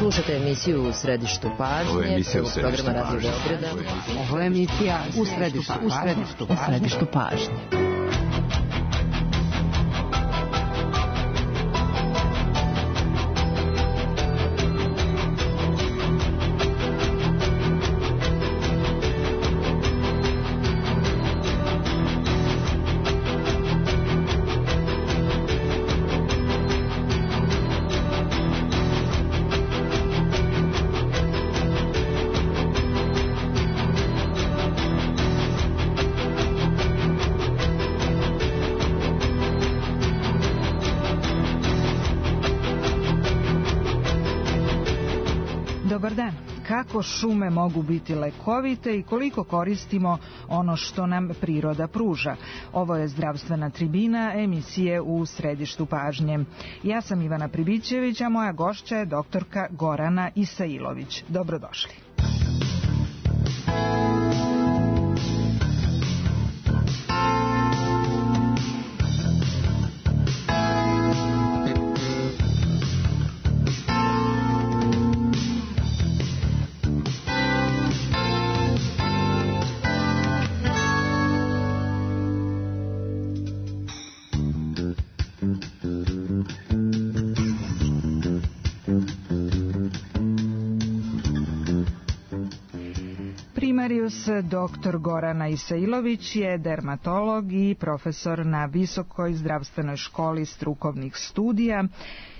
Slušate emisiju U središtu pažnje, programa Radio Beograda. Ovo je emisija U središtu pažnje. Dobar dan. Kako šume mogu biti lekovite i koliko koristimo ono što nam priroda pruža? Ovo je zdravstvena tribina emisije U središtu pažnje. Ja sam Ivana Pribićević, a moja gošća je doktorka Gorana Isailović. Dobrodošli. Dr. Gorana Isailović je dermatolog i profesor na Visokoj zdravstvenoj školi strukovnih studija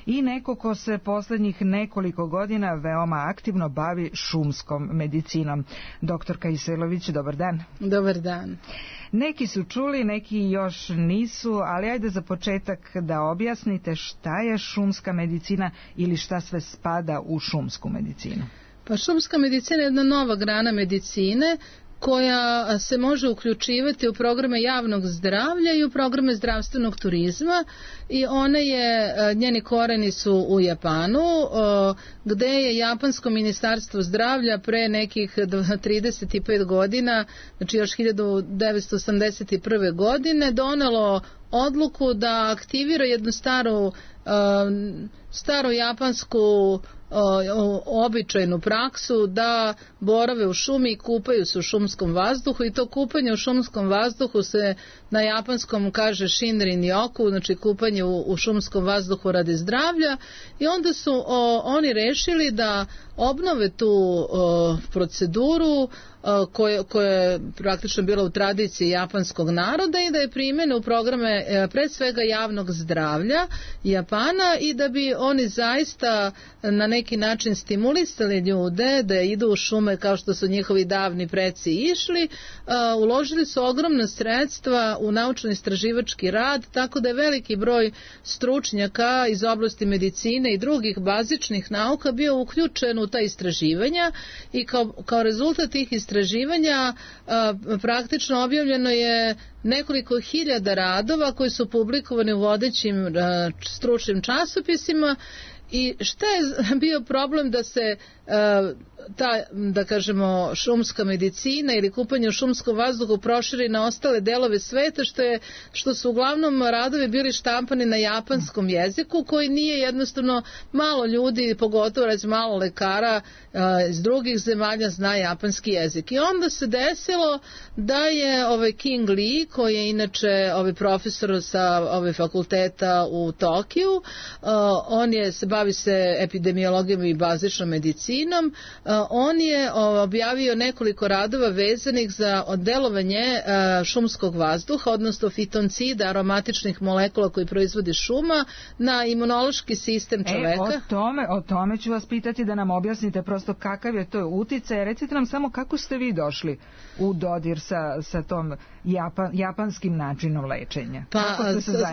i neko ko se poslednjih nekoliko godina veoma aktivno bavi šumskom medicinom. Doktorka Isailović, dobar dan. Dobar dan. Neki su čuli, neki još nisu, ali ajde za početak da objasnite šta je šumska medicina ili šta sve spada u šumsku medicinu. Pa šumska medicina je jedna nova grana medicine koja se može uključivati u programe javnog zdravlja i u programe zdravstvenog turizma i njeni koreni su u Japanu, gde je Japansko ministarstvo zdravlja pre nekih 35 godina, znači još 1981. godine, donelo odluku da aktivira jednu staru japansku običajnu praksu da borave u šumi i kupaju se u šumskom vazduhu, i to kupanje u šumskom vazduhu se na japanskom kaže shinrin yoku, znači kupanje u šumskom vazduhu radi zdravlja, i onda su oni rešili da obnove tu proceduru koja je praktično bila u tradiciji japanskog naroda i da je primene u programe pre svega javnog zdravlja Japana, i da bi oni zaista na neki način stimulisali ljude da idu u šume kao što su njihovi davni preci išli. Uložili su ogromna sredstva u naučno-istraživački rad, tako da je veliki broj stručnjaka iz oblasti medicine i drugih bazičnih nauka bio uključen u ta istraživanja, i kao rezultat tih istraživanja praktično objavljeno je nekoliko hiljada radova koji su publikovani u vodećim stručnim časopisima. I šta je bio problem da se ta, da kažemo, šumska medicina ili kupanje u šumskom vazduhu proširi na ostale delove sveta, što su uglavnom radovi bili štampani na japanskom jeziku, koji nije jednostavno, malo ljudi, pogotovo recimo malo lekara iz drugih zemalja zna japanski jezik. I onda se desilo da je King Lee, koji je inače profesor sa fakulteta u Tokiju, bavi se epidemiologijom i bazičnom medicinom, on je objavio nekoliko radova vezanih za delovanje šumskog vazduha, odnosno fitoncida, aromatičnih molekula koji proizvodi šuma, na imunološki sistem čoveka. O tome ću vas pitati da nam objasnite prosto kakav je to uticaj. Recite nam samo kako ste vi došli u dodir sa tom japanskim načinom lečenja. Pa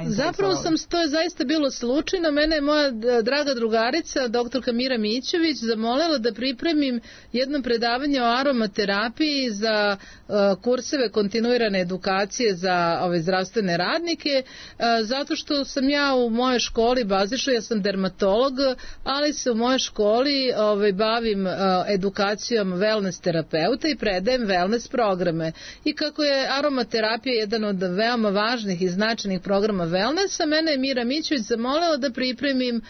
zapravo to je zaista bilo slučajno. Mene je moja draga drugarica, doktorka Mira Mićević, zamolila da pripremim jedno predavanje o aromaterapiji za kurseve kontinuirane edukacije za ove zdravstvene radnike, zato što sam ja u mojoj školi bazično, ja sam dermatolog, ali se u mojoj školi bavim edukacijom wellness terapeuta i predajem wellness programe. I kako je aromaterapija jedan od veoma važnih i značajnih programa wellnessa, mene je Mira Mićević zamolila da pripremim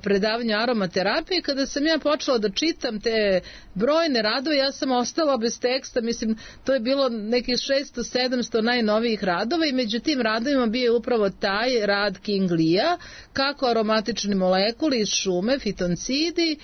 predavanju aromaterapije. Kada sam ja počela da čitam te brojne radove, ja sam ostala bez teksta, mislim, to je bilo nekih 600-700 najnovijih radova i među tim radovima bio je upravo taj rad King Lee-a, kako aromatični molekuli iz šume, fitoncidi,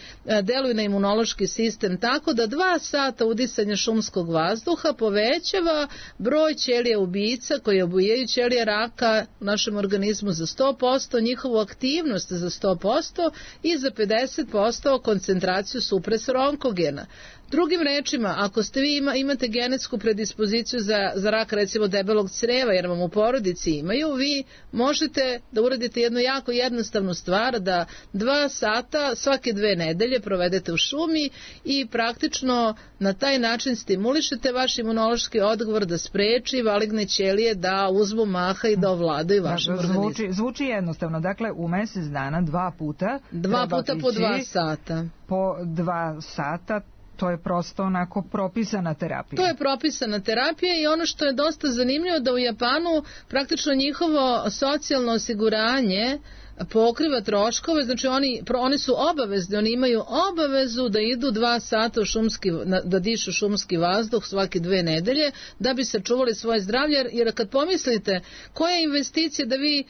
deluju na imunološki sistem tako da 2 sata udisanja šumskog vazduha povećava broj ćelija ubica koji obujaju ćelije raka u našem organizmu za 100%, njihovu aktivnost za 100% i za 50% koncentraciju supresora onkogena. Drugim rečima, ako ste vi imate genetsku predispoziciju za rak recimo debelog creva, jer vam u porodici imaju, vi možete da uradite jednu jako jednostavnu stvar, da 2 sata svake 2 nedelje provedete u šumi i praktično na taj način stimulišete vaš imunološki odgovor da spreči maligne ćelije da uzmu maha i da ovladaju vašim organizmom. Zvuči jednostavno, dakle u mesec dana 2 puta po 2 sata. Po 2 sata. To je prosto onako propisana terapija. To je propisana terapija i ono što je dosta zanimljivo da u Japanu praktično njihovo socijalno osiguranje pokriva troškove, znači oni su obavezni, oni imaju obavezu da idu 2 sata da dišu šumski vazduh svake 2 nedelje da bi sačuvali svoje zdravlje, jer kad pomislite koja je investicija da vi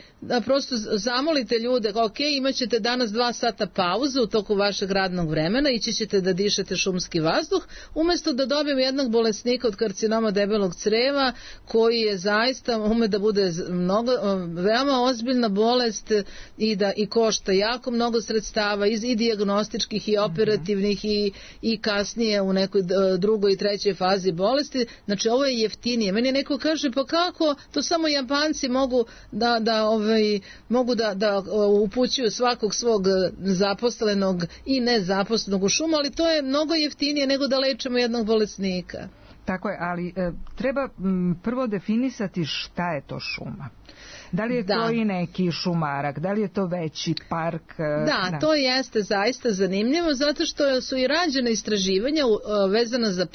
prosto zamolite ljude, ok, imat ćete danas 2 sata pauzu u toku vašeg radnog vremena, ići ćete da dišete šumski vazduh, umjesto da dobijemo jednog bolesnika od karcinoma debelog creva koji je zaista ume da bude veoma ozbiljna bolest i košta jako mnogo sredstava i dijagnostičkih i operativnih i kasnije u nekoj drugoj i trećoj fazi bolesti. Znači ovo je jeftinije. Meni neko kaže pa kako to samo Japanci mogu da upućuju svakog svog zaposlenog i nezaposlenog u šumu, ali to je mnogo jeftinije nego da lečemo jednog bolesnika. Tako je, ali treba prvo definisati šta je to šuma. Da li je to i neki šumarak, da li je to veći park? Da, to jeste zaista zanimljivo, zato što su i rađene istraživanja vezana za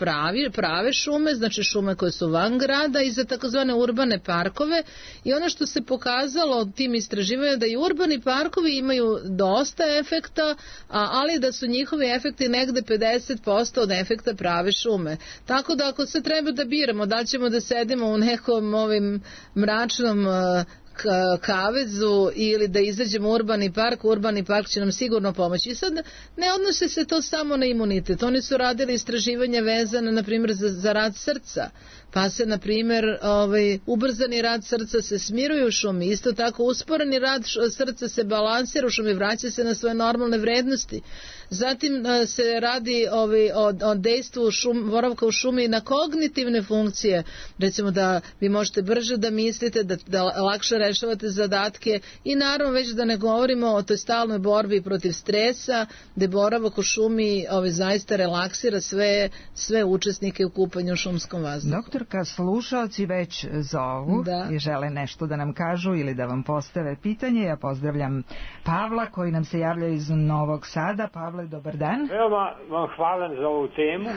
prave šume, znači šume koje su van grada i za takozvane urbane parkove, i ono što se pokazalo tim istraživanjima da i urbani parkovi imaju dosta efekta, ali da su njihovi efekti negde 50% od efekta prave šume. Tako da ako se treba da biramo, da li ćemo da sedimo u nekom mračnom kavezu ili da izađemo u urbani park će nam sigurno pomoći. I sad ne odnose se to samo na imunitet, oni su radili istraživanja vezane na primjer za rad srca, pa se na primjer ubrzani rad srca se smiruje u šumi, isto tako usporeni rad srca se balansira u šumi, vraća se na svoje normalne vrednosti. Zatim se radi o dejstvu boravka u šumi na kognitivne funkcije, recimo da vi možete brže da mislite, da lakše rešavate zadatke, i naravno već da ne govorimo o toj stalnoj borbi protiv stresa, gde boravak u šumi zaista relaksira sve učesnike u kupanju u šumskom vazduhu. Doktorka, slušaoci već zovu i žele nešto da nam kažu ili da vam postave pitanje. Ja pozdravljam Pavla koji nam se javlja iz Novog Sada. Pavle, dobar dan. Veoma vam hvala za ovu temu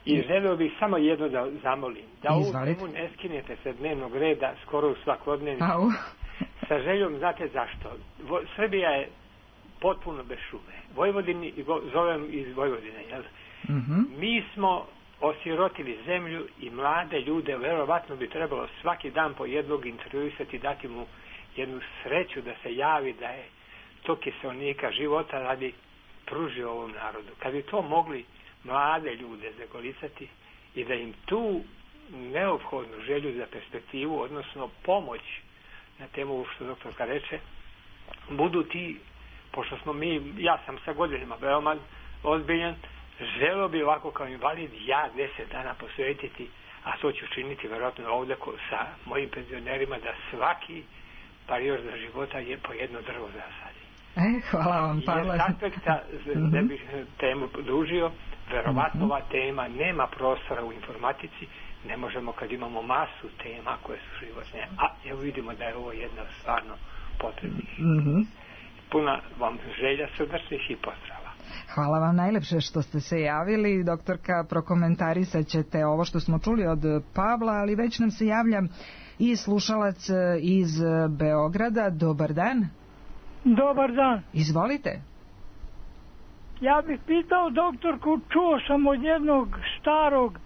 i želeo bih samo jedno da zamolim. Da ovu temu ne skinete sa dnevnog reda skoro u svakodnevni. Sa željom, znate zašto? Srbija je potpuno bez šume. Vojvodini, zovem iz Vojvodine, jel? Mi smo osirotili zemlju i mlade ljude, verovatno bi trebalo svaki dan po jednog intervjuisati, dati mu jednu sreću da se javi da je to kiselnika života radi pružio ovom narodu. Kad bi to mogli mlade ljude zagolicati i da im tu neophodnu želju za perspektivu, odnosno pomoć na temu što doktorka reče, budu ti, pošto smo ja sam sa godinama veoma ozbiljan, želeo bi ovako kao invalid ja 10 dana posvetiti, a to ću činiti verovatno ovdje sa mojim penzionerima, da svaki period za života je po jedno drvo zasadi. Hvala vam, Pavle. Iz aspekta, da bih temu dužio, verovatno ova tema nema prostora u informatici, ne možemo kad imamo masu tema koje su životne, a evo vidimo da je ovo jedna stvarno potrebnih. Puna vam želja srdačnih i pozdrava. Hvala vam najlepše što ste se javili. Doktorka, prokomentarisat ćete ovo što smo čuli od Pavla, ali već nam se javlja i slušalac iz Beograda. Dobar dan. Dobar dan. Izvolite. Ja bih pitao doktorku, čuo sam od jednog starog,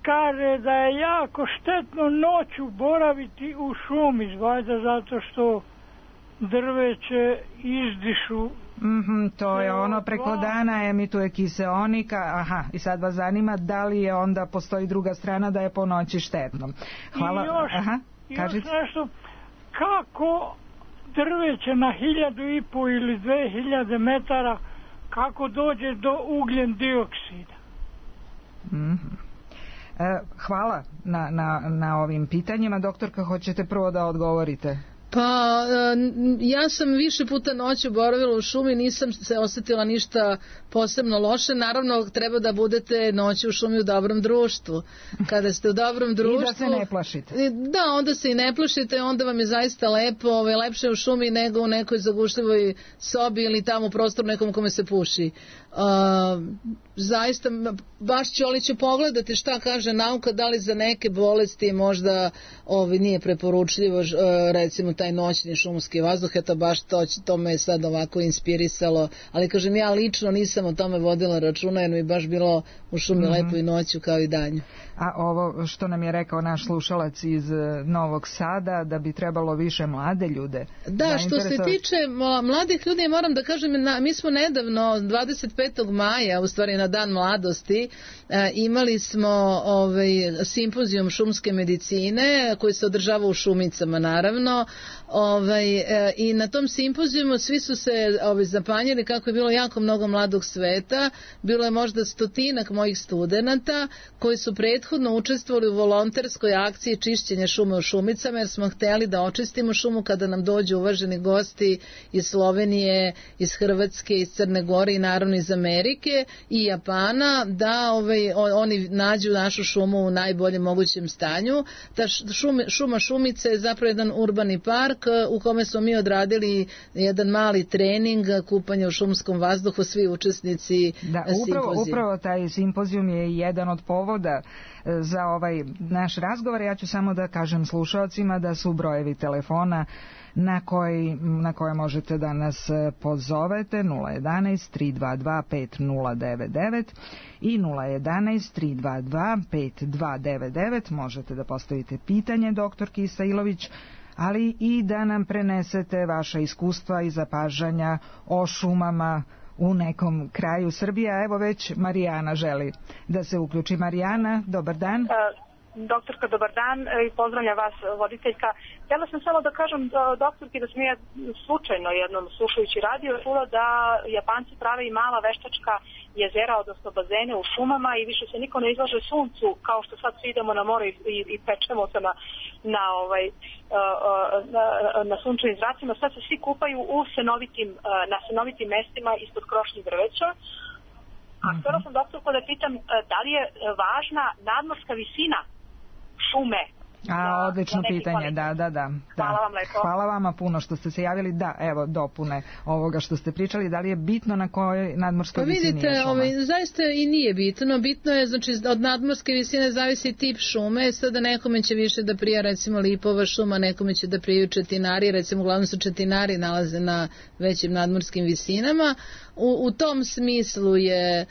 kaže da je jako štetno noću boraviti u šumi, valjda zato što drveće izdišu. To je ono, preko dana emituje kiseonika. Aha, i sad vas zanima da li je onda postoji druga strana da je po noći štetno. Hvala. I još nešto, kako drveće na 1.500 ili 2.000 metara, kako dođe do ugljen dioksida? Hvala na ovim pitanjima. Doktorka, hoćete prvo da odgovorite? Pa, ja sam više puta noću boravila u šumi, nisam se osjetila ništa posebno loše. Naravno, treba da budete noću u šumi u dobrom društvu. Kada ste u dobrom društvu... I da se ne plašite. Da, onda se i ne plašite, onda vam je zaista lepo, lepše u šumi nego u nekoj zagušljivoj sobi ili tamo u prostoru nekom kome se puši. Zaista, baš ću pogledati šta kaže nauka, da li za neke bolesti možda nije preporučljivo, recimo taj noćni šumski vazduh, eto baš to me je sad ovako inspirisalo, ali kažem, ja lično nisam o tome vodila računa, jer mi je baš bilo u šumi lepo i noću kao i danju. A ovo što nam je rekao naš slušalac iz Novog Sada, da bi trebalo više mlade ljude. Da, što se tiče mladih ljudi, moram da kažem, mi smo nedavno 25. maja, u stvari na Dan mladosti, imali smo simpozijum šumske medicine koji se održava u Šumicama, naravno, i na tom simpozijumu svi su se zapanjili kako je bilo jako mnogo mladog sveta. Bilo je možda 100-ak mojih studenata koji su prethodno učestvovali u volonterskoj akciji čišćenja šume u Šumicama, jer smo hteli da očistimo šumu kada nam dođu uvaženi gosti iz Slovenije, iz Hrvatske, iz Crne Gore i naravno iz Amerike i Japana, da oni nađu našu šumu u najboljem mogućem stanju. Ta šuma Šumice je zapravo jedan urbani park u kome smo mi odradili jedan mali trening kupanja u šumskom vazduhu, svi učesnici simpozijuma. Upravo taj simpozijum je jedan od povoda za ovaj naš razgovor. Ja ću samo da kažem slušalcima da su brojevi telefona na koje možete da nas pozovete 011 322 5099 i 011 322 5299. Možete da postavite pitanje doktorki Isailović, ali i da nam prenesete vaša iskustva i zapažanja o šumama u nekom kraju Srbije. Evo već Marijana želi da se uključi. Marijana, dobar dan. Doktorka, dobar dan i pozdravljam vas, voditeljka. Htjela sam samo da kažem doktorki da sam ja slučajno jednom slušajući radio čula da Japanci prave i mala veštačka jezera, odnosno bazene u šumama i više se niko ne izlaže suncu kao što sad svi idemo na more i pečemo se na sunčevim zracima. Sad se svi kupaju na senovitim mestima ispod krošnjih drveća. A htjela sam doktorku da pitam da li je važna nadmorska visina šume? Odlično pitanje, da. Hvala vam lepo. Hvala vama puno što ste se javili. Da, evo dopune ovoga što ste pričali. Da li je bitno na kojoj nadmorskoj visini je šuma? Vidite, zaista i nije bitno. Bitno je, znači, od nadmorske visine zavisi tip šume. Sada nekome će više da prija, recimo, lipova šuma, nekome će da prijaju četinari. Recimo, uglavnom su četinari nalaze na većim nadmorskim visinama. U tom smislu je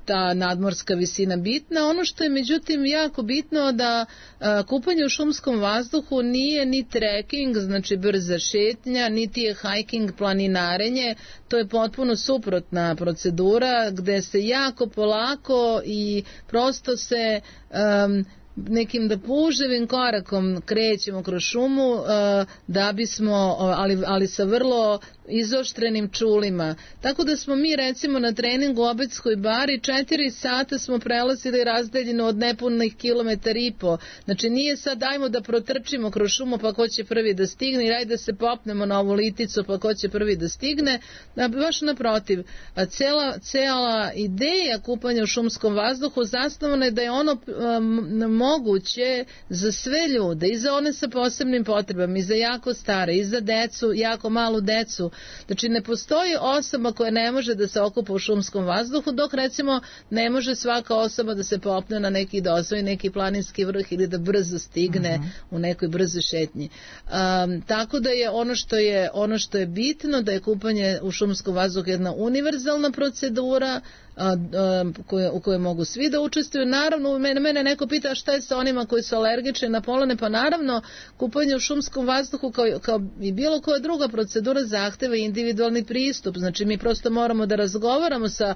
ta nadmorska visina bitna. Ono što je međutim jako bitno da kupanje u šumskom vazduhu nije ni trekking, znači brza šetnja, niti je hiking, planinarenje. To je potpuno suprotna procedura gde se jako polako i prosto se nekim puževim korakom krećemo kroz šumu da bismo, ali sa vrlo izoštrenim čulima. Tako da smo mi recimo na treningu u Obedskoj bari 4 sata smo prelazili razdaljinu od nepunih 1,5 km. Znači nije sad dajmo da protrčimo kroz šumu pa ko će prvi da stigne i ajde da se popnemo na ovu liticu pa ko će prvi da stigne. Baš naprotiv, cijela ideja kupanja u šumskom vazduhu zasnovana je da je ono moguće za sve ljude, i za one sa posebnim potrebama, i za jako stare, i za decu, jako malu decu. Znači ne postoji osoba koja ne može da se okupa u šumskom vazduhu, dok recimo ne može svaka osoba da se popne na neki, da osvoji neki planinski vrh ili da brzo stigne u nekoj brzo šetnji. Tako da je ono što je bitno, da je kupanje u šumskom vazduhu jedna univerzalna procedura u kojoj mogu svi da učestvuju. Naravno, mene neko pita šta je sa onima koji su alergični na polene, pa naravno kupanje u šumskom vazduhu kao i bilo koja druga procedura zahteva individualni pristup. Znači mi prosto moramo da razgovaramo sa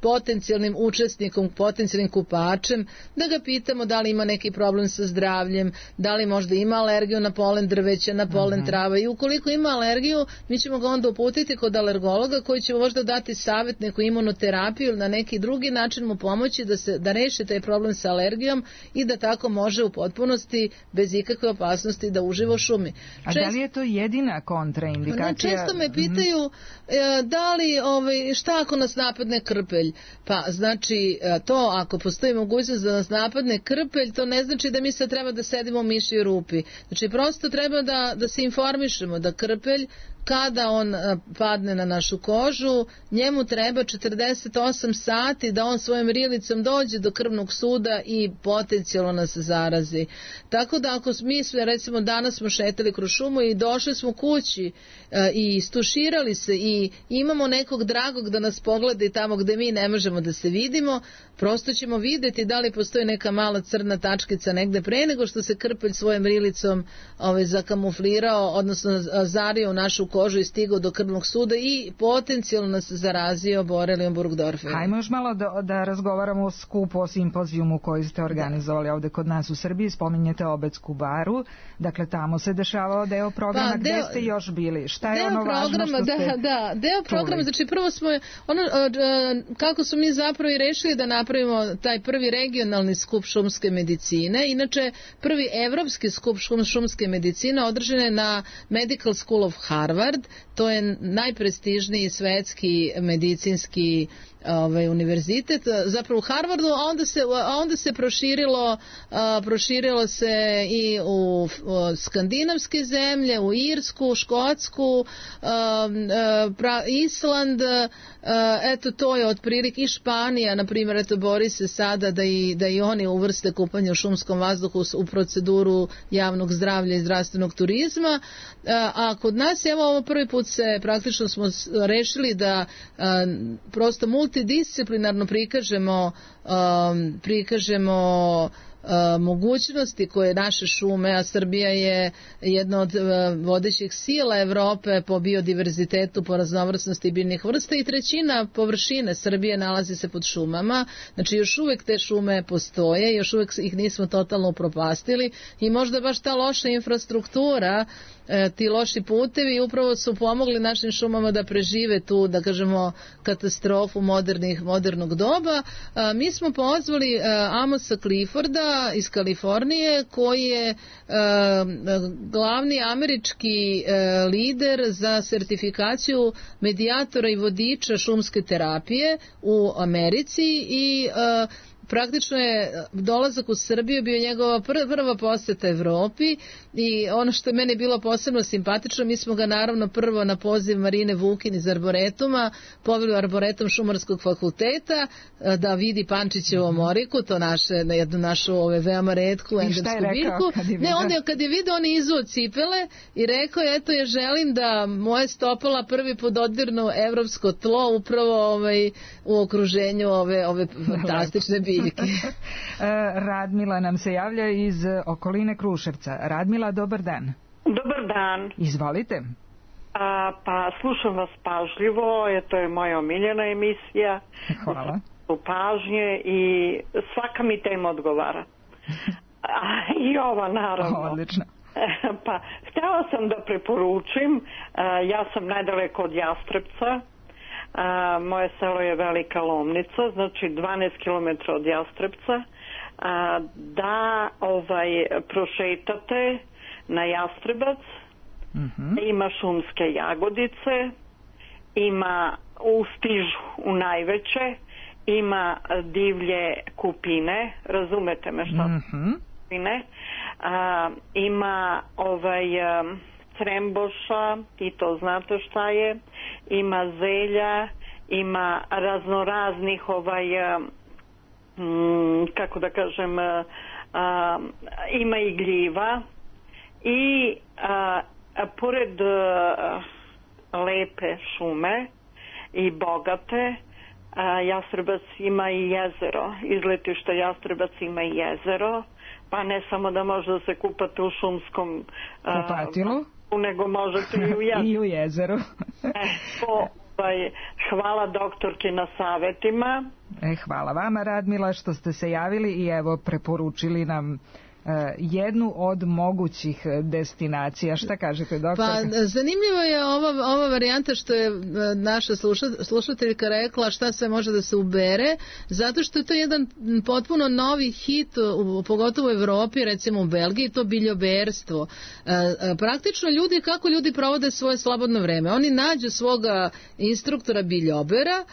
potencijalnim učesnikom, potencijalnim kupačem, da ga pitamo da li ima neki problem sa zdravljem, da li možda ima alergiju na polen drveća, na polen trava, i ukoliko ima alergiju, mi ćemo ga onda uputiti kod alergologa koji će možda dati savjet, neku imunoterapiju ili na neki drugi način mu pomoći da reši taj problem sa alergijom i da tako može u potpunosti bez ikakve opasnosti da uživa u šumi. A da li je to jedina kontraindikacija? Često me pitaju da li, šta ako nas napadne krpelj? Pa znači to, ako postoji mogućnost da nas napadne krpelj, to ne znači da mi sad treba da sedimo u mišjoj rupi. Znači prosto treba da se informišemo da krpelj, kada on padne na našu kožu, njemu treba 48 sati da on svojom rilicom dođe do krvnog suda i potencijalno nas zarazi. Tako da ako mi sve, recimo danas smo šetali kroz šumu i došli smo kući i istuširali se i imamo nekog dragog da nas pogleda tamo gde mi ne možemo da se vidimo, prosto ćemo videti da li postoji neka mala crna tačkica negde pre nego što se krpelj svojom rilicom zakamuflirao, odnosno zario u našu kožu i stigao do krvnog suda i potencijalno nas zarazio borelijom Burgdorfera. Hajmo još malo da razgovaramo o skupu, o simpozijumu koji ste organizovali ovde kod nas u Srbiji. Spominjete Obedsku baru, dakle tamo se dešavao deo programa. Gde ste još bili? Šta je ono važno što ste deo programa, znači prvo smo kako smo mi zapravo i rešili da napravimo taj prvi regionalni skup šumske medicine. Inače, prvi evropski skup šumske medicine održan je na Medical School of Harvard. To je najprestižniji svetski medicinski univerzitet, zapravo u Harvardu, a onda se proširilo se i u skandinavske zemlje, u Irsku, Škotsku, Island, eto to je otprilike, i Španija, na primjer, eto bori se sada da i oni uvrste kupanje u šumskom vazduhu u proceduru javnog zdravlja i zdravstvenog turizma, a kod nas, evo ovo prvi put praktično smo rešili da prosto multidisciplinarno prikažemo mogućnosti koje naše šume, a Srbija je jedna od vodećih sila Evrope po biodiverzitetu, po raznovrsnosti biljnih vrsta, i trećina površine Srbije nalazi se pod šumama. Znači još uvek te šume postoje, još uvek ih nismo totalno upropastili i možda baš ta loša infrastruktura, ti loši putevi upravo su pomogli našim šumama da prežive tu, da kažemo, katastrofu modernog doba. Mi smo pozvali Amosa Clifforda iz Kalifornije, koji je glavni američki lider za sertifikaciju medijatora i vodiča šumske terapije u Americi, i praktično je dolazak u Srbiju bio njegova prva poseta Evropi, i ono što je meni bilo posebno simpatično, mi smo ga naravno prvo na poziv Marine Vukin iz Arboretuma poveli u Arboretum Šumarskog fakulteta da vidi Pančićevu omoriku, to jednu našu veoma retku endemsku biljku. Onda kad je vidio, on je izuo cipele i rekao, eto ja želim da moje stopala prvi put dodirnu evropsko tlo upravo u okruženju ove fantastične biljke. Radmila nam se javlja iz okoline Kruševca. Radmila, dobar dan. Dobar dan. Izvolite. Pa slušam vas pažljivo, to je moja omiljena emisija. Hvala. U pažnje i svaka mi tema odgovara. I ova naravno. Odlično. Pa htjela sam da preporučim, ja sam najdaleko od Jastrebca. Moje selo je Velika Lomnica, znači 12 km od Jastrebca, da prošetate na Jastrebac, ima šumske jagodice, ima u Stižu u najveće, ima divlje kupine, razumete me šta kupine, ima cremboša, i to znate šta je, ima zelja, ima raznoraznih kako da kažem, ima i gljiva i pored lepe šume i bogate, Jastrebac ima i jezero, iz letišta Jastrebac ima i jezero, pa ne samo da može da se kupate u šumskom kupatilu, nego možete i u jezeru. I u jezeru. Hvala doktorki na savjetima. Hvala vama, Radmila, što ste se javili i evo preporučili nam jednu od mogućih destinacija. Šta kažete, doktor? Pa zanimljivo je ova varijanta što je naša slušateljka rekla šta sve može da se ubere, zato što je to jedan potpuno novi hit, pogotovo u Evropi, recimo u Belgiji, to biljoberstvo. Praktično kako ljudi provode svoje slobodno vreme? Oni nađu svoga instruktora biljobera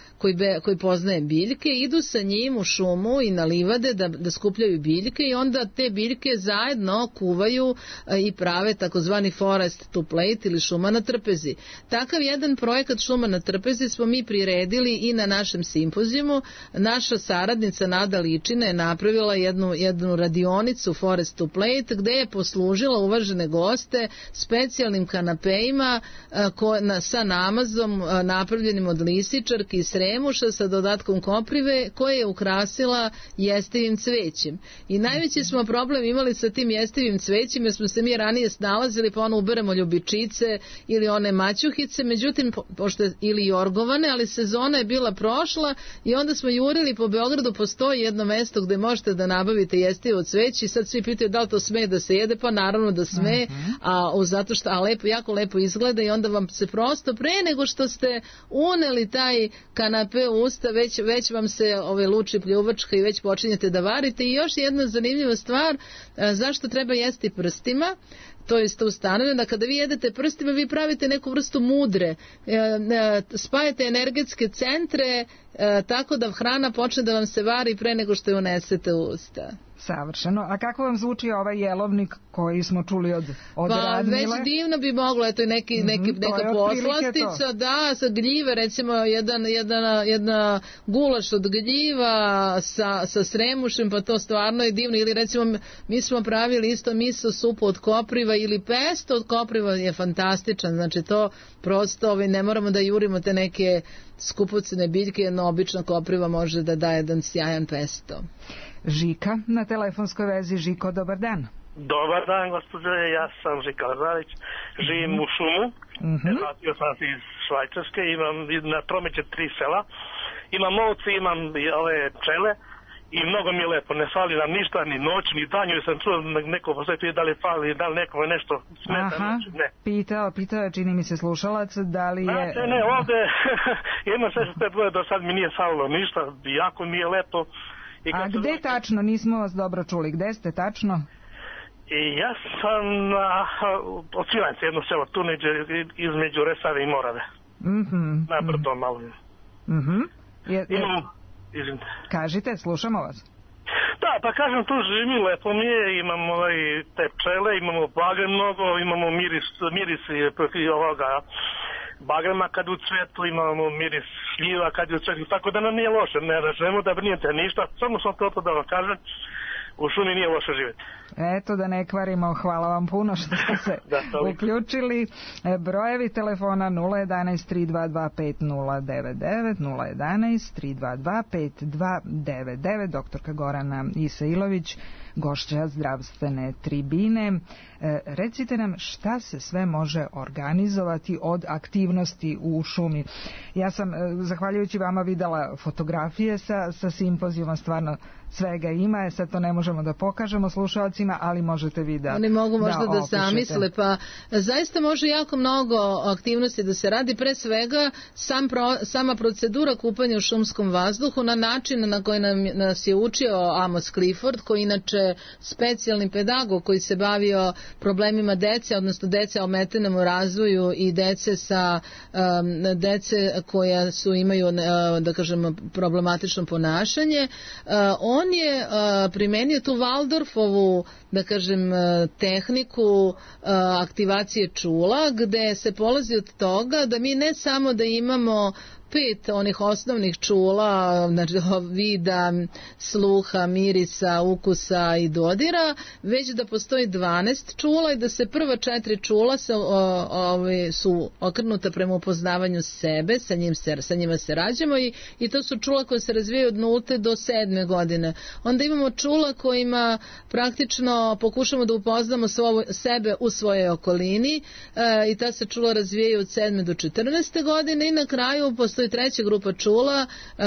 koji poznaje biljke, idu sa njim u šumu i na livade da skupljaju biljke i onda te biljke zajedno kuvaju i prave takozvani forest to plate ili šuma na trpezi. Takav jedan projekat šuma na trpezi smo mi priredili i na našem simpozijumu. Naša saradnica Nada Ličina je napravila jednu radionicu forest to plate gde je poslužila uvažene goste specijalnim kanapejima sa namazom napravljenim od lisičarki i sremuša sa dodatkom koprive koje je ukrasila jestivim cvećem. I najveći smo problem imali sa tim jestivim cvećima jer smo se mi ranije snalazili pa uberemo ljubičice ili one maćuhice, međutim pošto ili jorgovane, ali sezona je bila prošla i onda smo jurili po Beogradu, postoji jedno mesto gde možete da nabavite jestivo cveće i sad svi pitaju da li to sme da se jede, pa naravno da sme, zato što jako lepo izgleda i onda vam se prosto pre nego što ste uneli taj kanape u usta, već vam se luči pljuvačka i već počinjete da varite. I još jedna zanimljiva stvar, zašto treba jesti prstima? To je isto ustanovljeno da kada vi jedete prstima vi pravite neku vrstu mudre, spajate energetske centre tako da hrana počne da vam se vari pre nego što je unesete u usta. Savršeno. A kako vam zvuči ovaj jelovnik koji smo čuli od Radmile? Već divno bi moglo, eto neka poslastica, da, sa gljive, recimo jedna gulaš od gljiva sa sremušem, pa to stvarno je divno. Ili recimo mi smo pravili isto miso supu od kopriva ili pesto od kopriva je fantastičan, znači to prosto ne moramo da jurimo te neke skupocene biljke, jedna obična kopriva može da daje jedan sjajan pesto. Žika na telefonskoj vezi. Žiko, dobar dan. Dobar dan, gospođo, ja sam Žika Lazarić, živim u šumu, vratio sam se iz Švajcarske, imam na Tromeće 3 sela, imam ovce, imam ove pčele i mnogo mi je lepo, ne fali nam ništa, ni noć, ni danju, sam čuo neko posvetio da li fali, da li nekome nešto smeta, ne. Pitao je, čini mi se slušalac, da li je... Ne, ovde, jedno 65 godina do sad mi nije falilo ništa, jako mi je lepo. A gde tačno? Nismo vas dobro čuli. Gde ste tačno? Ja sam od Svilajnca, jedno selo, tu između Resave i Morave. Na brdo malo. Kažite, slušamo vas. Da, pa kažem, tu živim, lepo mi je, imamo te pčele, imamo bagre mnogo, imamo miris ovoga bagrema kad u cvetu, imamo miris šljiva kad je u cvetu, tako da nam nije loše, ne ražemo da brinete ništa, samo sam to da vam kažem, u šumi nije loše živjeti. Eto, da ne kvarimo, hvala vam puno što ste se uključili. Brojevi telefona 011-322-5099, 011-322-5299, doktorka Gorana Isailović, gošća zdravstvene tribine. Recite nam šta se sve može organizovati od aktivnosti u šumi. Ja sam, zahvaljujući vama, videla fotografije sa simpozijuma, stvarno svega ima, sad to ne možemo da pokažemo slušalcima, slušalcima, ali možete vi da oni mogu možda da zamisle, pa zaista može jako mnogo aktivnosti da se radi, pre svega sama procedura kupanja u šumskom vazduhu na način na koji nas je učio Amos Clifford, koji inače specijalni pedagog koji se bavio problemima dece, odnosno dece ometenom u razvoju i dece koja imaju, da kažemo, problematično ponašanje. On je primenio tu Waldorfovu, da kažem, tehniku aktivacije čula, gde se polazi od toga da mi ne samo da imamo 5 onih osnovnih čula, znači vida, sluha, mirisa, ukusa i dodira, već da postoji 12 čula i da se prva 4 čula su okrenuta prema upoznavanju sebe, sa njima se rađamo i to su čula koje se razvijaju od 0 do 7. godine. Onda imamo čula kojima praktično pokušamo da upoznamo sebe u svojoj okolini i ta se čula razvijaju od 7. do 14. godine i na kraju postoji treća grupa čula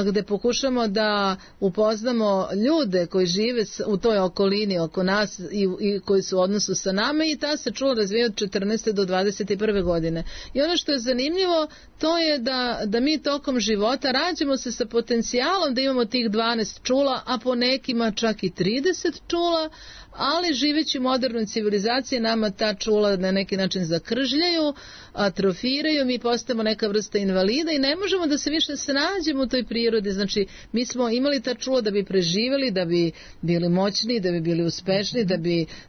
gde pokušamo da upoznamo ljude koji žive u toj okolini oko nas i koji su u odnosu sa nama i ta se čula razvija od 14. do 21. godine. I ono što je zanimljivo to je da mi tokom života rađamo se sa potencijalom da imamo tih 12 čula, a po nekima čak i 30 čula, ali živeći u modernoj civilizaciji nama ta čula na neki način zakržljaju, atrofiraju, mi postajemo neka vrsta invalida i ne možemo da se više snađemo u toj prirodi. Znači, mi smo imali ta čula da bi preživjeli, da bi bili moćni, da bi bili uspešni,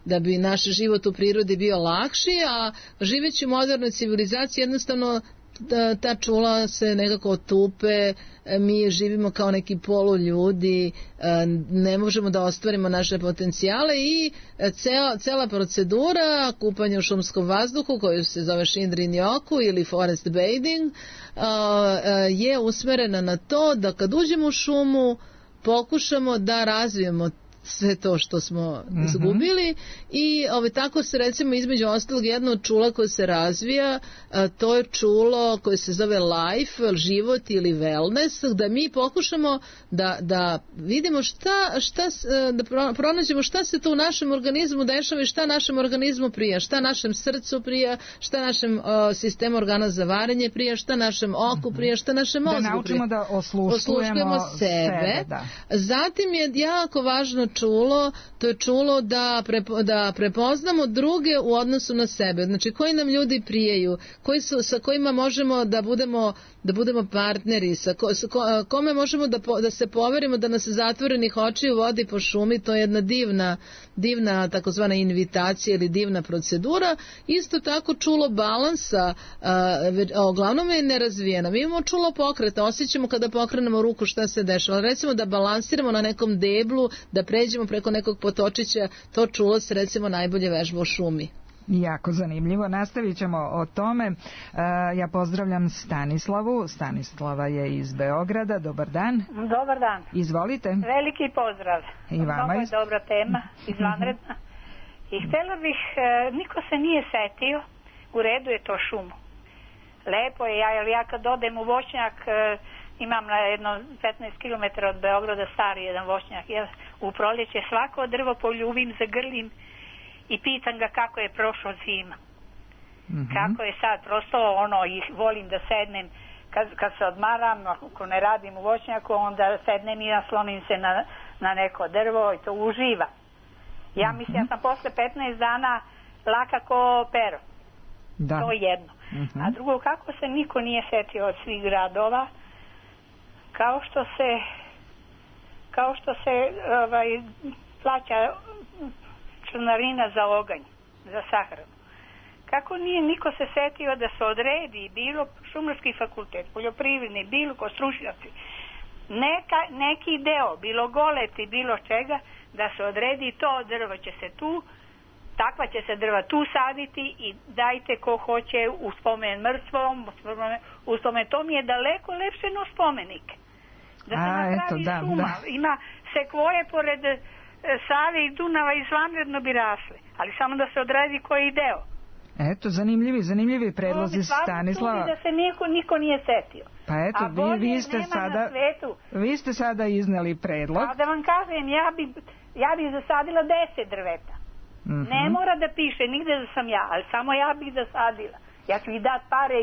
da bi naš život u prirodi bio lakši, a živeći u modernoj civilizaciji jednostavno ta čula se nekako otupe, mi živimo kao neki poluljudi, ne možemo da ostvarimo naše potencijale i cela procedura kupanja u šumskom vazduhu koju se zove Shinrin-yoku ili forest bathing je usmerena na to da kad uđemo u šumu pokušamo da razvijemo sve to što smo izgubili i tako se recimo između ostalog jedno od čula koje se razvija, to je čulo koje se zove life, život ili wellness, da mi pokušamo da vidimo da pronađemo šta se to u našem organizmu dešava i šta našem organizmu prija, šta našem srcu prija, šta našem sistemu organa za varenje prija, šta našem oku prija, šta našem mozgu prija. Da naučimo da osluškujemo sebe. Zatim je jako važno čulo, to je čulo da prepoznamo druge u odnosu na sebe. Znači, koji nam ljudi prijaju, sa kojima možemo da budemo partneri, kome možemo da se poverimo, da nas zatvorenih očiju vodi po šumi, to je jedna divna takozvana invitacija ili divna procedura. Isto tako čulo balansa, uglavnom je nerazvijeno. Mi imamo čulo pokreta, osjećamo kada pokrenemo ruku šta se dešava. Recimo da balansiramo na nekom deblu, da pređemo preko nekog potočića, to čulo se recimo najbolje vežba u šumi. Jako zanimljivo. Nastavit ćemo o tome. Ja pozdravljam Stanislavu. Stanislava je iz Beograda. Dobar dan. Dobar dan. Izvolite. Veliki pozdrav. I vama. Mnogo je dobra tema, izvanredna. I htjela bih, niko se nije setio, u redu je to šumu. Lepo je, ja kad odem u voćnjak, imam na jedno 15 km od Beograda stari jedan voćnjak. U proljeće svako drvo poljubim, zagrlim i pitam ga kako je prošlo zima. Kako je sad, prosto volim da sednem kad se odmaram, ako ne radim u voćnjaku, onda sednem i naslonim se na neko drvo i to uživa. Ja mislim, ja sam posle 15 dana laka ko pero. Da. To je jedno. A drugo, kako se niko nije setio od svih gradova, kao što se plaća članarina za oganj, za sahranu. Kako nije niko se setio da se odredi bilo šumarski fakultet, poljoprivredni, bilo ko stručnjaci, neki deo, bilo goleti, bilo čega, da se odredi to drvo će se tu, takva će se drva tu saditi i dajte ko hoće u spomen mrtvom, u spomen, to mi je daleko lepše no spomenik. Da se napravi šuma, ima sekvoje pored Save i Dunava izvanredno bi rasle, ali samo da se odredi koji deo. Eto, zanimljivi predlozi Stanislava. Da se niko nije setio. Pa eto, vi ste sada izneli predlog. A da vam kažem, ja bi zasadila 10 drveta. Ne mora da piše nigde da sam ja, ali samo ja bih da sadila. Ja ću i dat pare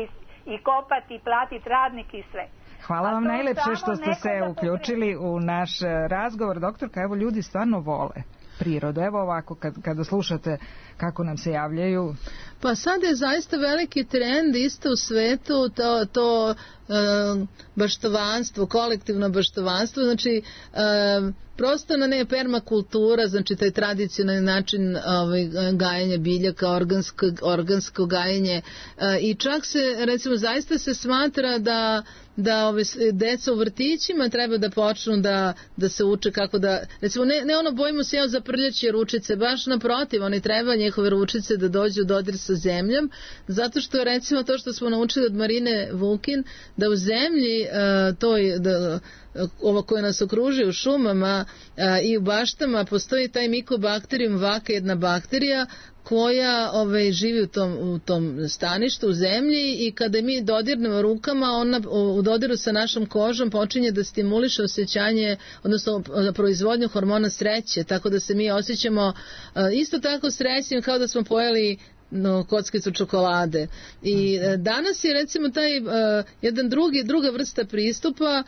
i kopati i platiti radnike i sve. Hvala vam najlepše što ste se uključili u naš razgovor, doktorka. Evo, ljudi stvarno vole prirodu. Evo ovako, kada slušate kako nam se javljaju. Pa sad je zaista veliki trend isto u svetu to baštovanstvo, kolektivno baštovanstvo, znači prosto na ne permakultura, znači taj tradicionalni način gajenja biljaka, organsko gajenje i čak se, recimo, zaista se smatra da deca u vrtićima treba da počnu da se uče kako da, recimo, ne ono bojimo se za prljaće ručice, baš naprotiv, oni treba njihove ručice da dođu u dodir sa zemljom, zato što recimo to što smo naučili od Marine Vukin, da u zemlji ovo koje nas okružuje u šumama i u baštama postoji taj mikobakterijum vaka, jedna bakterija koja živi u tom staništu u zemlji i kada mi dodirnemo rukama, ona u dodiru sa našom kožom počinje da stimuliše osjećanje, odnosno proizvodnju hormona sreće, tako da se mi osjećamo isto tako srećnim kao da smo pojeli kockicu čokolade. I danas je recimo taj druga vrsta pristupa,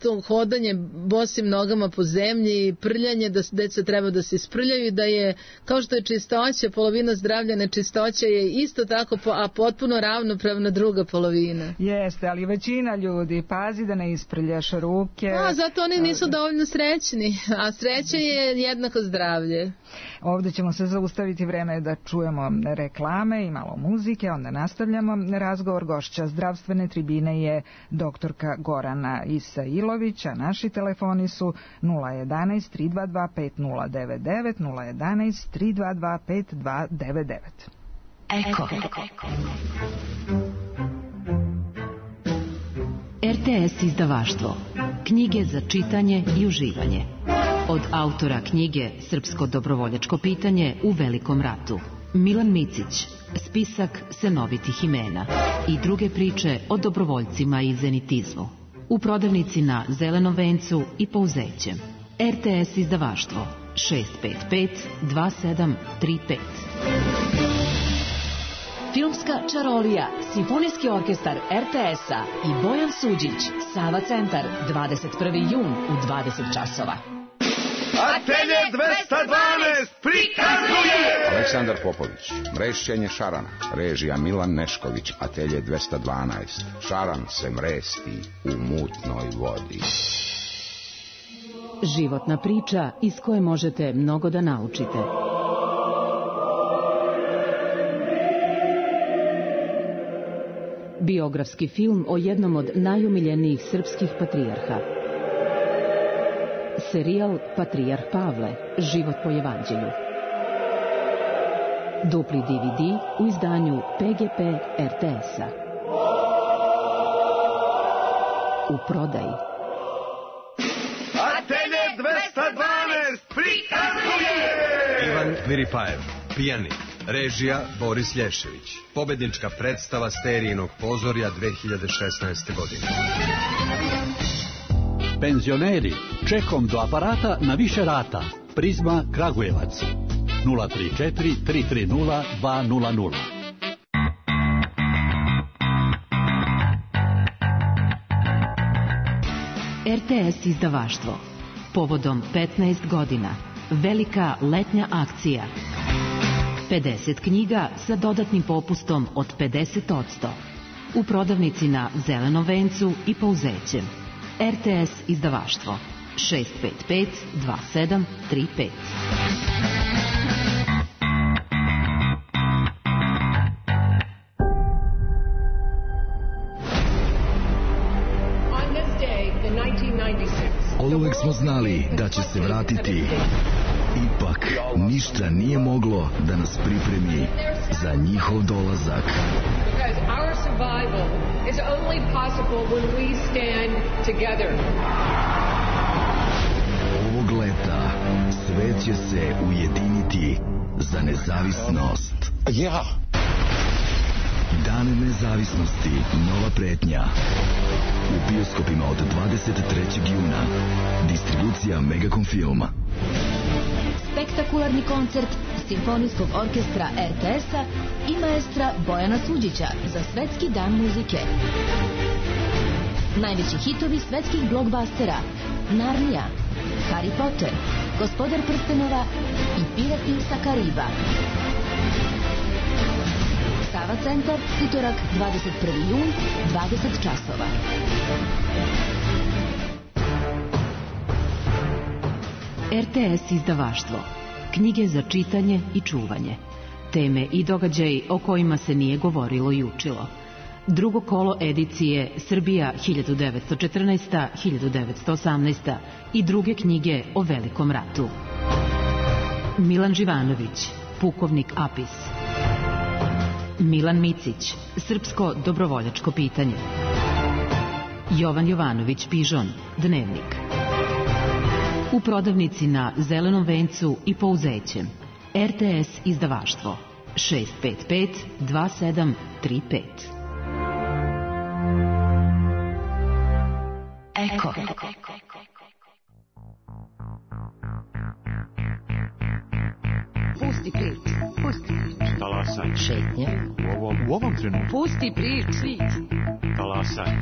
to hodanje bosim nogama po zemlji, prljanje, da deca treba da se isprljaju i da je, kao što je čistoća, polovina zdravlja, nečistoća je isto tako, a potpuno ravnopravna druga polovina. Jeste, ali većina ljudi pazi da ne isprljaš ruke. Zato oni nisu dovoljno srećni, a sreća je jednako zdravlje. Ovdje ćemo se zaustaviti, vreme da čujemo reklame i malo muzike, onda nastavljamo razgovor. Gošća zdravstvene tribine je doktorka Gorana Isailović, a naši telefoni su 011 322 5099, 011 322 5299. Eko. RTS izdavaštvo. Knjige za čitanje i uživanje. Od autora knjige Srpsko dobrovoljačko pitanje u Velikom ratu, Milan Micić, spisak senovitih imena i druge priče o dobrovoljcima i zenitizmu. U prodavnici na Zelenom vencu i Pouzećem. RTS izdavaštvo 655 2735. Filmska čarolija, simfonijski orkestar RTS-a i Bojan Suđić, Sava centar, 21. jun u 20 časova. Atelje 212 prikazuje! Aleksandar Popović, mrešćenje šarana, režija Milan Nešković, Atelje 212. Šaran se mresti u mutnoj vodi. Životna priča iz koje možete mnogo da naučite. Biografski film o jednom od najumiljenijih srpskih patrijarha. Serijal Patrijarh Pavle, život po evanđelju. Dupli DVD u izdanju PGP RTS-a. U prodaji. Atelje 212 prikazuje! Ivan Miripajev, pijanik. Režija Boris Lješević. Pobednička predstava Sterijinog pozorja 2016. godine. Penzioneri, čekom do aparata na više rata. Prizma Kragujevac. 034 330 200. RTS izdavaštvo. Povodom 15 godina. Velika letnja akcija. 50 knjiga sa dodatnim popustom od 50%. U prodavnici na Zelenom vencu i Pouzećem. RTS izdavaštvo 655 2735. Oduvek smo znali da će se vratiti. Ipak, ništa nije moglo da nas pripremi za njihov dolazak. Ovog leta svet će se ujediniti za nezavisnost. Dan nezavisnosti, nova pretnja. U bioskopima od 23. juna. Distribucija Megacom filma. spektakularni koncert Simfonijskog orkestra RTS-a i maestra Bojana Suđića za Svetski dan muzike. Najveći hitovi svetskih blockbustera Narnija, Harry Potter, Gospodar prstenova i Pirati sa Kariba. Sava centar, utorak 21. jun, 20 časova. RTS izdavaštvo. Knjige za čitanje i čuvanje. Teme i događaji o kojima se nije govorilo i učilo. Drugo kolo edicije Srbija 1914-1918 i druge knjige o Velikom ratu. Milan Živanović, Pukovnik Apis. Milan Micić, Srpsko dobrovoljačko pitanje. Jovan Jovanović Pižon, Dnevnik. U prodavnici na Zelenom vencu i Pouzećem. RTS izdavaštvo 655 2735. Eko. Pusti prič. Talasaj. Šetnja. U ovom trenutku. Pusti prič. Talasaj.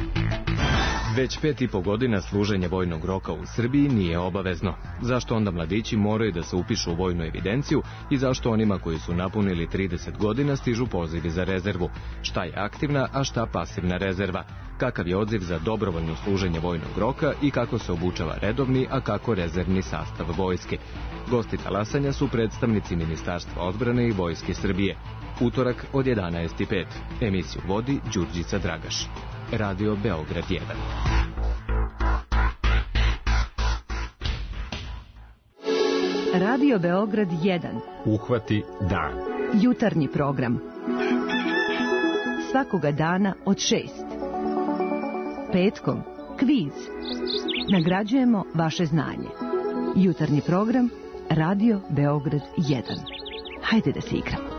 Već 5,5 godina služenje vojnog roka u Srbiji nije obavezno. Zašto onda mladići moraju da se upišu u vojnu evidenciju i zašto onima koji su napunili 30 godina stižu pozivi za rezervu? Šta je aktivna, a šta pasivna rezerva? Kakav je odziv za dobrovoljno služenje vojnog roka i kako se obučava redovni, a kako rezervni sastav vojske? Gosti talasanja su predstavnici Ministarstva odbrane i Vojske Srbije. Utorak od 11:05. Emisiju vodi Đurđica Dragaš. Radio Beograd 1. Radio Beograd 1. Uhvati dan. Jutarnji program. Svakoga dana od 6. Petkom kviz. Nagrađujemo vaše znanje. Jutarnji program Radio Beograd 1. Hajde da se igramo.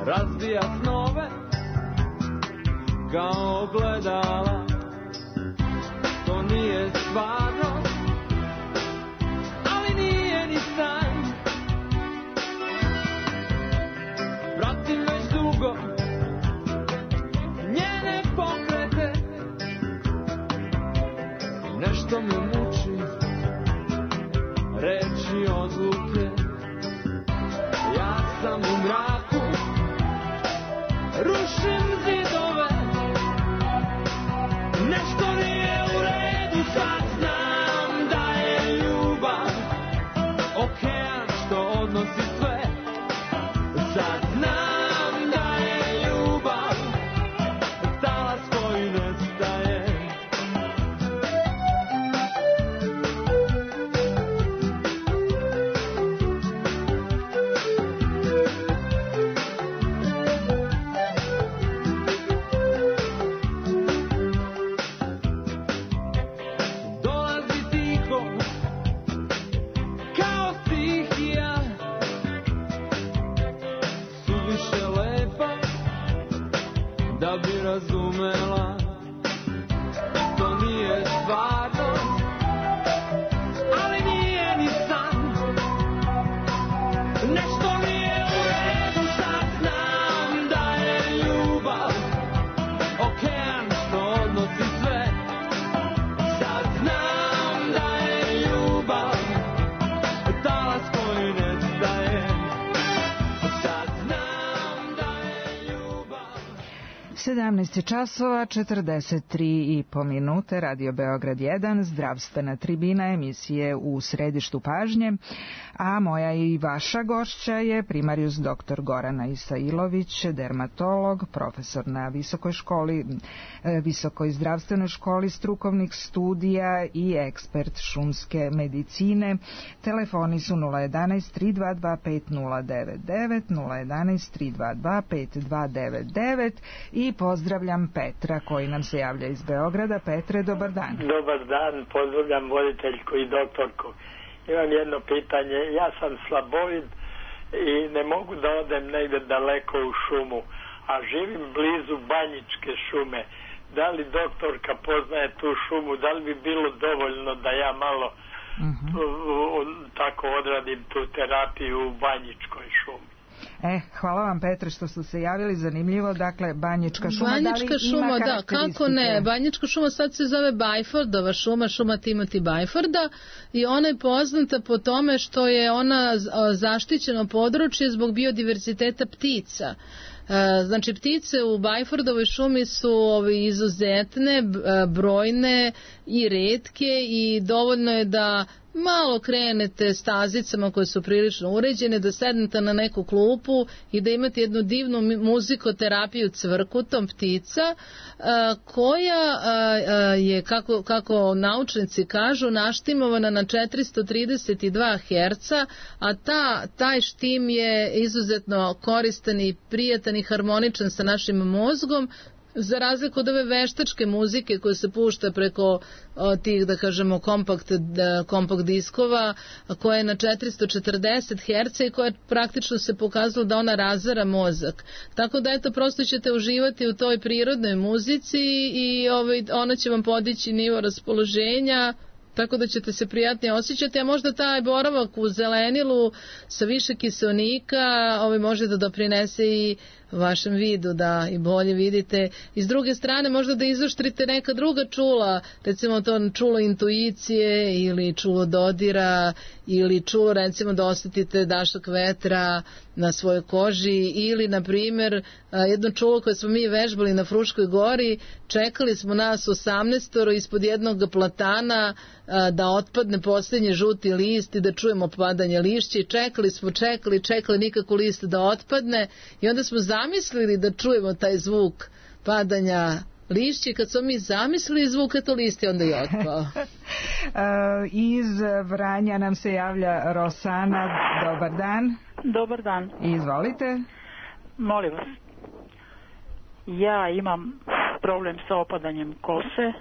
Razbija snove kao ogledala. To nije stvarno, ali nije ni san. Pratim već dugo njene pokrete. Nešto me muči, reči odluke. Ja sam u mraku, rušim zidove. Nešto nije u redu, sad znam da je ljubav okean što odnosi sve. Sad znam da je ljubav talas koji nestaje. 17 časova 43,5 minute, Radio Beograd 1, zdravstvena tribina emisije U središtu pažnje, a moja i vaša gošća je primarijus dr. Gorana Isailović, dermatolog, profesor na Visokoj zdravstvenoj školi strukovnih studija i ekspert šumske medicine. Telefoni su 011 322 5099, 011 322 5299 i pozdravljam Petra koji nam se javlja iz Beograda. Petre, dobar dan. Dobar dan, pozdravljam voditeljku i doktorku. Imam jedno pitanje. Ja sam slabovid i ne mogu da odem negde daleko u šumu, a živim blizu Banjičke šume. Da li doktorka poznaje tu šumu? Da li bi bilo dovoljno da ja malo tako odradim tu terapiju u Banjičkoj šumi? Hvala vam, Petre, što ste se javili. Zanimljivo, dakle, Banjička šuma. Banjička šuma, da, kako ne. Banjička šuma sad se zove Bajfordova šuma, šuma Timothy Bajforda, i ona je poznata po tome što je ona zaštićeno područje zbog biodiverziteta ptica. Znači, ptice u Bajfordovoj šumi su izuzetne, brojne i retke, i dovoljno je da malo krenete stazicama koje su prilično uređene, da sednete na neku klupu i da imate jednu divnu muzikoterapiju cvrkutom ptica, koja je, kako naučnici kažu, naštimovana na 432 Hz, a taj štim je izuzetno koristan i prijatan i harmoničan sa našim mozgom, za razliku od ove veštačke muzike koja se pušta preko tih, da kažemo, kompakt diskova, koja je na 440 Hz i koja praktično se pokazalo da ona razara mozak. Tako da, eto, prosto ćete uživati u toj prirodnoj muzici i ona će vam podići nivo raspoloženja, tako da ćete se prijatnije osjećati, a možda taj boravak u zelenilu sa više kiseonika može da doprinese i vašem vidu, da i bolje vidite. I s druge strane, možda da izoštrite neka druga čula, recimo to čulo intuicije ili čulo dodira, ili čulo, recimo, da osjetite dašak vetra na svojoj koži, ili, na primjer, jedno čulo koje smo mi vežbali na Fruškoj gori, čekali smo nas 18 ispod jednog platana da otpadne posljednji žuti list i da čujemo padanje lišća, i čekali nikako list da otpadne, i onda smo zamislili da čujemo taj zvuk padanja lišća, kad smo mi zamislili zvuk, eto list je onda i otpao. Iz Vranja nam se javlja Rosana. Dobar dan. Dobar dan. Izvolite. Molim vas. Ja imam problem sa opadanjem kose,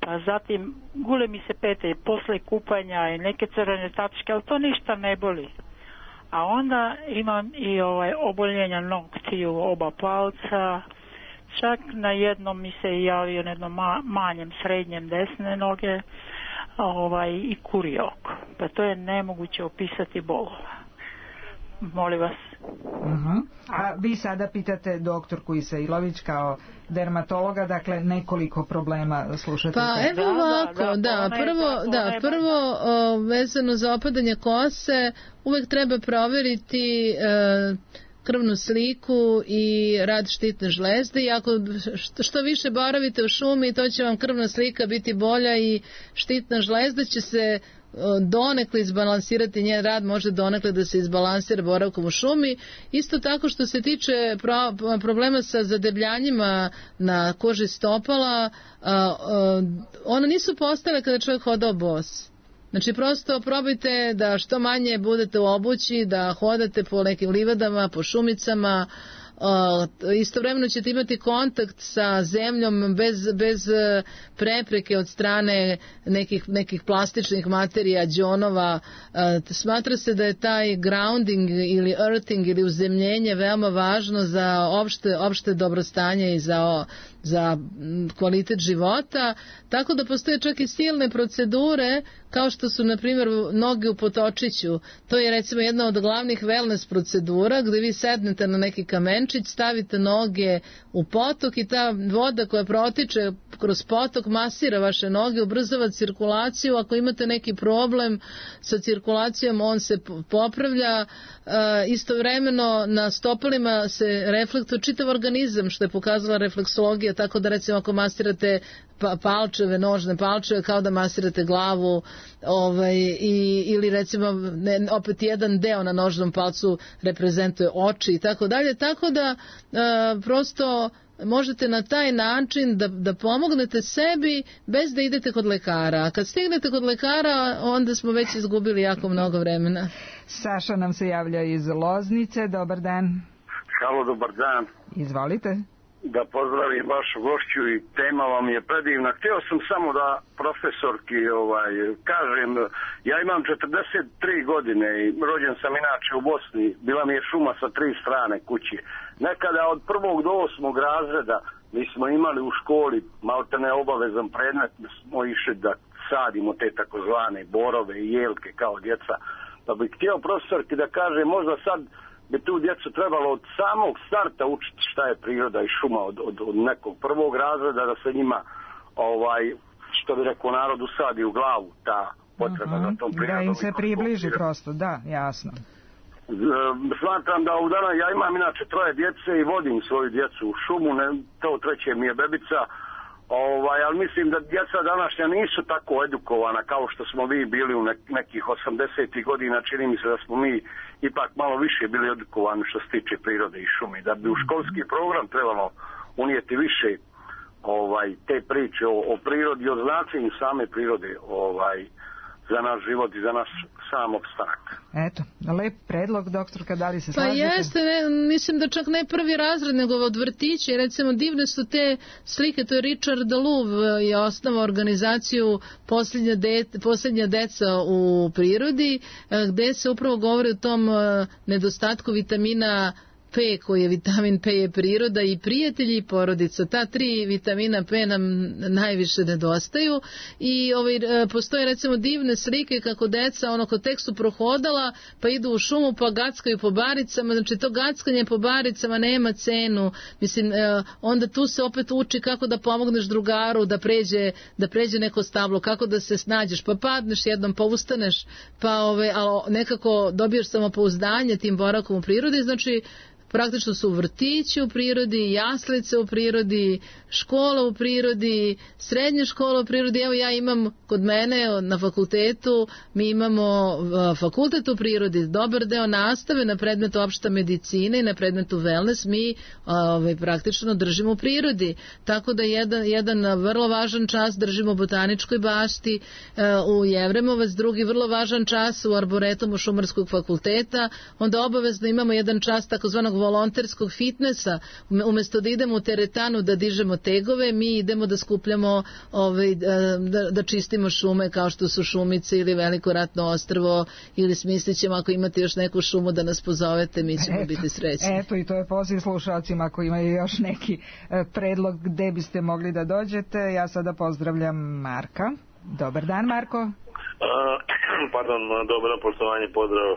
pa zatim gule mi se pete i posle kupanja i neke crvene tačke, ali to ništa ne boli. A onda imam i oboljenja noktiju, oba palca, čak na jednom mi se javio na jednom manjem, srednjem desne noge i kuri oko. Pa to je nemoguće opisati bolova. Molim vas. A vi sada pitate doktorku Isailović kao dermatologa, dakle nekoliko problema slušate. Pa evo ovako, prvo vezano za opadanje kose, uvek treba provjeriti krvnu sliku i rad štitne žlezde, i ako što više boravite u šumi, to će vam krvna slika biti bolja i štitna žlezda će se donekle izbalansirati, njen rad može donekle da se izbalansira boravkom u šumi. Isto tako, što se tiče problema sa zadebljanjima na koži stopala, ona nisu postale kada čovjek hodao bos. Znači, prosto probajte da što manje budete u obući, da hodate po nekim livadama, po šumicama. Istovremeno ćete imati kontakt sa zemljom bez prepreke od strane nekih plastičnih materija, đonova. Smatra se da je taj grounding ili earthing ili uzemljenje veoma važno za opšte dobrostanje i za kvalitet života, tako da postoje čak i silne procedure, kao što su, na primjer, noge u potočiću. To je, recimo, jedna od glavnih wellness procedura, gdje vi sednete na neki kamenčić, stavite noge u potok i ta voda koja protiče kroz potok masira vaše noge, ubrzava cirkulaciju. Ako imate neki problem sa cirkulacijom, on se popravlja. Istovremeno na stopalima se reflektuje čitav organizam, što je pokazala refleksologija, tako da recimo ako masirate palčeve, nožne palčeve, kao da masirate glavu, ili recimo opet jedan deo na nožnom palcu reprezentuje oči i tako dalje, tako da prosto možete na taj način da pomognete sebi bez da idete kod lekara. A kad stignete kod lekara, onda smo već izgubili jako mnogo vremena. Saša nam se javlja iz Loznice. Dobar dan. Halo, dobar dan. Izvolite. Da pozdravim vašu gošću i tema vam je predivna. Htio sam samo da profesorki kažem, ja imam 43 godine i rođen sam inače u Bosni. Bila mi je šuma sa 3 strane kuće. Nekada od 1. do 8. razreda mi smo imali u školi maltene obavezan predmet, smo išli da sadimo te takozvane borove i jelke kao djeca. Pa bih htio profesorki da kaže, možda sad bi tu djecu trebalo od samog starta učiti šta je priroda i šuma od nekog 1. razreda, da se njima što bi rekao narod usadi u glavu ta potreba za tom prirodom. Da im se približi prosto, da, jasno. Smatram da ovdje ja imam inače 3 djece i vodim svoju djecu u šumu, to 3. mi je bebica, ali mislim da djeca današnja nisu tako edukovana kao što smo vi bili u nekih 80. godina. Čini mi se da smo mi ipak malo više bili edukovani što se tiče prirode i šumi. Da bi u školski program trebalo unijeti više te priče o prirodi i o značenju same prirode za naš život i za naš sam opstanak. Eto, lep predlog, doktorka, da li se slažete? Pa jeste, mislim da čak ne 1. razred, nego od vrtića. Recimo, divne su te slike, to je Richard Louv je osnovao organizaciju Posljednja deca u prirodi, gde se upravo govori o tom nedostatku vitamina P, koji je vitamin P je priroda i prijatelji i porodica. Ta 3 vitamina P nam najviše nedostaju i postoje recimo divne slike kako deca kod tek su prohodala pa idu u šumu pa gackaju po baricama. Znači to gackanje po baricama nema cenu. Mislim, onda tu se opet uči kako da pomogneš drugaru da pređe neko stablo, kako da se snađeš, pa padneš jednom, pa ustaneš, pa ali nekako dobiješ samopouzdanje tim boravkom u prirodi. Znači praktično su vrtići u prirodi, jaslice u prirodi, škola u prirodi, srednja škola u prirodi. Evo ja imam kod mene na fakultetu, mi imamo fakultet u prirodi, dobar deo nastave na predmetu opšta medicina i na predmetu wellness mi praktično držimo u prirodi. Tako da jedan vrlo važan čas držimo u botaničkoj bašti u Jevremovac, drugi vrlo važan čas u arboretumu Šumarskog fakulteta, onda obavezno imamo jedan čas takozvanog volonterskog fitnessa. Umesto da idemo u teretanu da dižemo tegove, mi idemo da skupljamo da čistimo šume kao što su Šumice ili Veliko Ratno ostrvo, ili smislit ćemo ako imate još neku šumu da nas pozovete, mi ćemo biti srećni. Eto, i to je poziv slušalcima ako imaju još neki predlog gde biste mogli da dođete. Ja sada pozdravljam Marka. Dobar dan, Marko. Pardon, dobro, poštovanje, pozdrav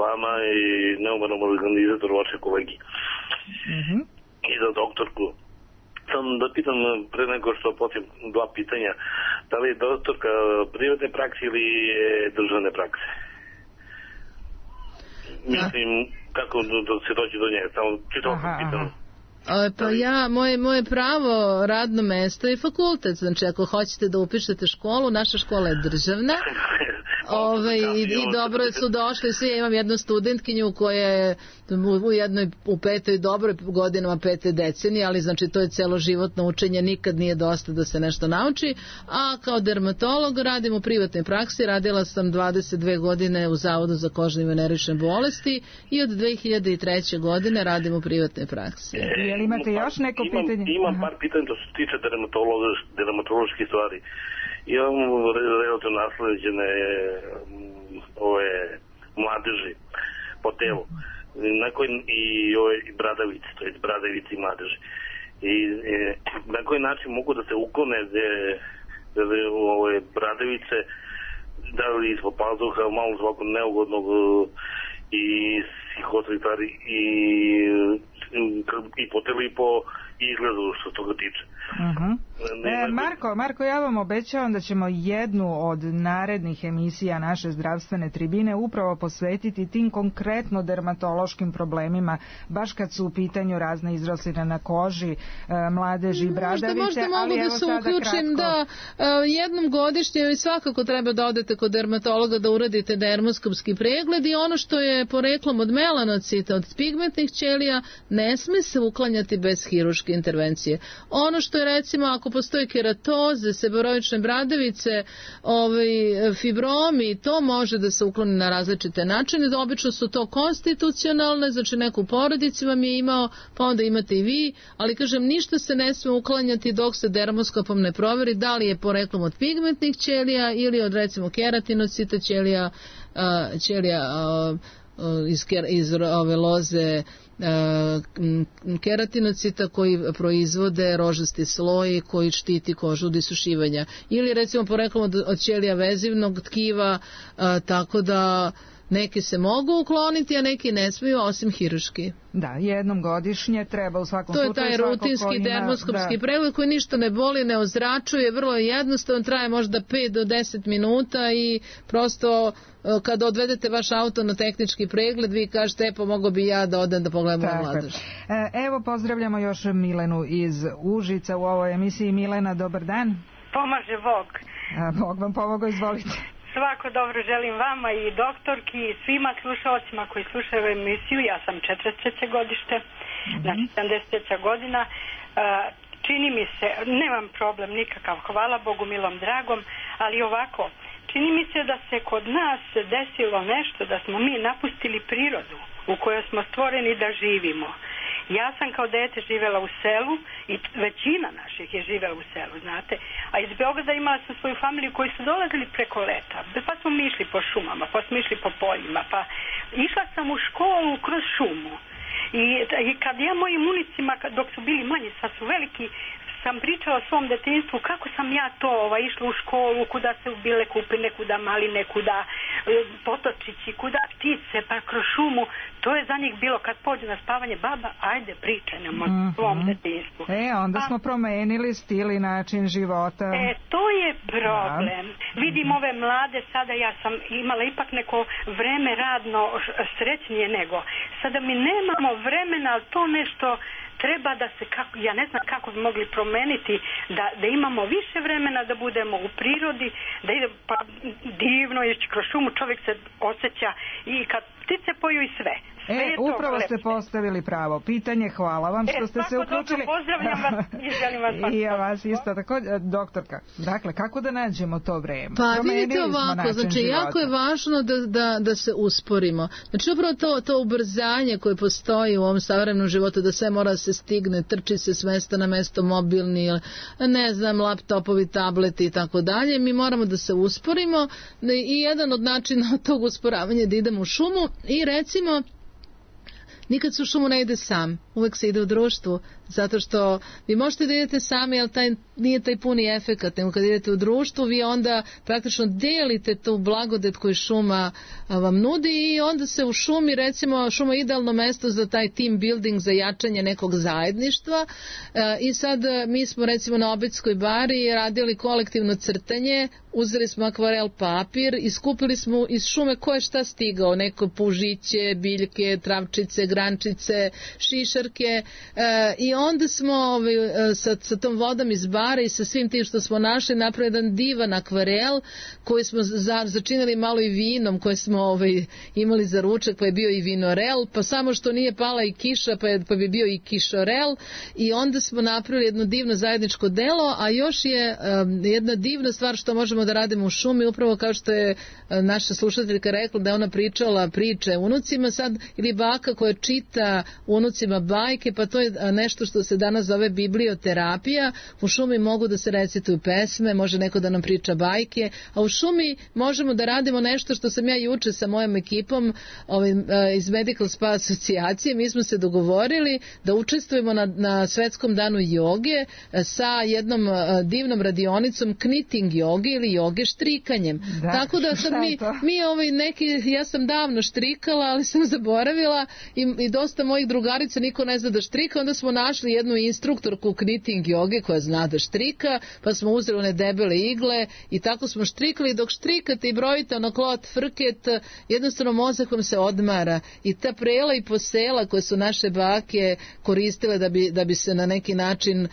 vama i neumarnom organizatoru vaše kolegi i za doktorku. Sam da pitam pre nego što potim 2 pitanja, da li je doktorka privatne prakse ili državne prakse? Mislim, kako da se dođe do nje, samo čitam pitam. Pa moje pravo radno mesto je fakultet, znači ako hoćete da upišete školu, naša škola je državna i dobro su došli svi. Ja imam jednu studentkinju koja je u 5. dobroj godinama 5. decenije, ali znači to je celoživotno učenje, nikad nije dosta da se nešto nauči. A kao dermatolog radim u privatnoj praksi, radila sam 22 godine u Zavodu za kožne i venerične bolesti i od 2003. godine radim u privatnoj praksi. Jel imate još neko pitanje? Imam par pitanja što se tiče dermatoloških stvari. Imam relativno nasleđene mladeži po telu. I bradavice, to je bradavice i mladeži. I na koji način mogu da se uklone ove bradavice, da li ispod pazuha, malo svako neugodnog i psihosvetari i po telu i po izgledu što toga tiče. Marko, ja vam obećavam da ćemo jednu od narednih emisija naše zdravstvene tribine upravo posvetiti tim konkretno dermatološkim problemima, baš kad su u pitanju razne izrosline na koži, mladeži, bradavice. Možda mogu da se uključim da jednom godišnje svakako treba da odete kod dermatologa da uradite dermoskopski pregled i ono što je poreklom od melanocita, od pigmentnih ćelija, ne sme se uklanjati bez hiruške intervencije. Ono što je recimo ako postoji keratoze, seborovične bradavice, fibromi, to može da se ukloni na različite načine. Obično su to konstitucionalne, znači neko u porodici vam je imao, pa onda imate i vi, ali kažem, ništa se ne sme uklanjati dok se dermoskopom ne proveri da li je poreklom od pigmentnih ćelija ili od recimo keratinocita ćelija iz ove loze keratinocita koji proizvode rožasti sloj koji štiti kožu od isušivanja ili recimo poreklom od ćelija vezivnog tkiva, tako da neki se mogu ukloniti, a neki ne smiju osim hiruški. Da, jednom godišnje treba u svakom slučaju. To je taj rutinski dermoskopski pregled koji ništa ne boli, ne ozračuje, vrlo je jednostavan, traje možda 5 do 10 minuta i prosto kada odvedete vaš auto na tehnički pregled, vi kažete, pomogao bi ja da odem da pogledam moju mladež. Evo, pozdravljamo još Milenu iz Užica u ovoj emisiji. Milena, dobar dan. Pomaže Bog. Bog vam pomogao, izvolite. Svako dobro želim vama i doktorki i svima slušalcima koji slušaju emisiju. Ja sam 43. godište, znači 73. godina. Čini mi se, nemam problem nikakav, hvala Bogu milom dragom, ali ovako, čini mi se da se kod nas desilo nešto, da smo mi napustili prirodu u kojoj smo stvoreni da živimo. Ja sam kao dete živjela u selu i većina naših je živjela u selu, znate. A iz Beograda imala sam svoju familiju koji su dolazili preko leta. Pa smo mi išli po šumama, pa smo išli po poljima, pa išla sam u školu kroz šumu. I kad ja mojim unicima, dok su bili manji, sad su veliki, sam pričala o svom detinjstvu kako sam ja to išla u školu, kuda se bile kupine, kuda maline, kuda potočići, kuda ptice, pa kroz šumu. To je za njih bilo kad pođu na spavanje, baba, ajde pričaj nam o svom detinjstvu. Onda smo promenili stil i način života. To je problem. Vidim ove mlade, sada ja sam imala ipak neko vreme radno srećnije nego. Sada mi nemamo vremena, ali to nešto treba da se, ja ne znam kako bi mogli promeniti, da imamo više vremena da budemo u prirodi, da ide pa divno ići kroz šumu, čovjek se osjeća i kad ptice poju i sve. Upravo ste postavili pravo pitanje, hvala vam što ste se uključili. Pozdravljam vas i želim vas i ja vas isto tako. Doktorka, dakle, kako da nađemo to vreme? Pa vidite ovako, znači jako je važno da se usporimo. Znači upravo to ubrzanje koje postoji u ovom savremenom životu, da sve mora se stigne, trči se s mesta na mesto, mobilni, ne znam, laptopovi, tableti i tako dalje. Mi moramo da se usporimo i jedan od načina tog usporavanja je da idemo u šumu i recimo nikad se u šumu ne ide sam, uvek se ide u društvu, zato što vi možete da idete sami, ali nije taj puni efekat, nego kad idete u društvu, vi onda praktično delite tu blagodet koju šuma vam nudi i onda se u šumi, recimo, šuma je idealno mesto za taj team building, za jačanje nekog zajedništva i sad mi smo recimo na Obedskoj bari radili kolektivno crtanje, uzeli smo akvarel papir i skupili smo iz šume ko je šta stigao, neko pužiće, biljke, travčice, grančice, šišarke i onda smo sa tom vodom iz bara i sa svim tim što smo našli napravili jedan divan akvarel koji smo začinili malo i vinom koje smo imali za ručak, pa je bio i vinorel, pa samo što nije pala i kiša pa bi bio i kišorel i onda smo napravili jedno divno zajedničko delo, a još je jedna divna stvar što možemo da radimo u šumi, upravo kao što je naša slušateljka rekla da je ona pričala priče unucima sad, ili baka koja čita unucima bajke, pa to je nešto što se danas zove biblioterapija. U šumi mogu da se recituju pesme, može neko da nam priča bajke, a u šumi možemo da radimo nešto što sam ja juče sa mojom ekipom iz Medical Spa asocijacije, mi smo se dogovorili da učestvujemo na svetskom danu joge sa jednom divnom radionicom knitting joge ili joge štrikanjem. Tako da sad mi neki, ja sam davno štrikala, ali sam zaboravila i dosta mojih drugarica niko ne zna da štrika, onda smo našli našli jednu instruktorku knitting joge koja zna da štrika, pa smo uzeli one debele igle i tako smo štrikali. Dok štrikate i brojite ono klot, frket, jednostavno mozak vam se odmara i ta prela i posela koje su naše bake koristile da bi se na neki način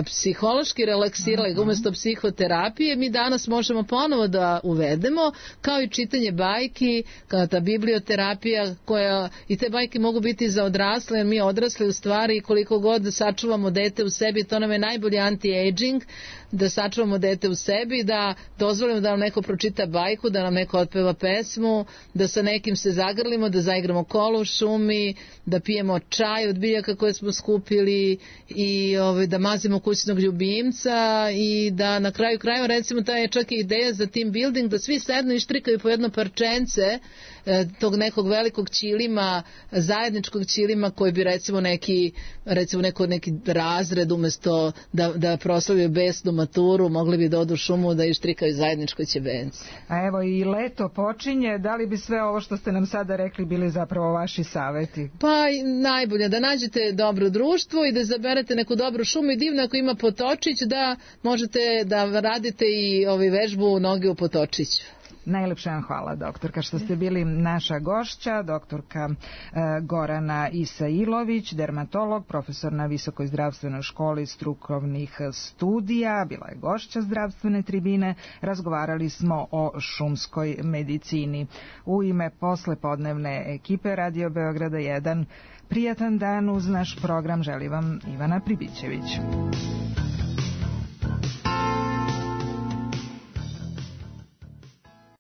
psihološki relaksirali umjesto psihoterapije, mi danas možemo ponovo da uvedemo, kao i čitanje bajki, kao ta biblioterapija koja, i te bajke mogu biti za odrasle, jer mi odrasli u stvari koliko god sačuvamo dete u sebi, to nam je najbolji anti-aging, da sačuvamo dete u sebi, da dozvolimo da nam neko pročita bajku, da nam neko otpeva pesmu, da sa nekim se zagrlimo, da zaigramo kolo u šumi, da pijemo čaj od biljaka koje smo skupili i da mazimo kućnog ljubimca i da na kraju krajeva, recimo, ta je čak i ideja za team building, da svi sednu i štrikaju po jedno parčence tog nekog velikog ćilima, zajedničkog ćilima koji bi recimo neki razred umjesto da proslavljaju besnu maturu, mogli bi da odu u šumu da ištrikaju zajedničko ćebence. A evo i leto počinje, da li bi sve ovo što ste nam sada rekli bili zapravo vaši saveti? Pa najbolje da nađete dobro društvo i da izaberete neku dobru šumu i divno ako ima potočić da možete da radite i vežbu noge u potočiću. Najlepša vam hvala, doktorka, što ste bili naša gošća, doktorka Gorana Isailović, dermatolog, profesor na Visokoj zdravstvenoj školi strukovnih studija, bila je gošća zdravstvene tribine, razgovarali smo o šumskoj medicini. U ime poslepodnevne ekipe Radio Beograda 1, prijatan dan uz naš program želi vam Ivana Pribićević.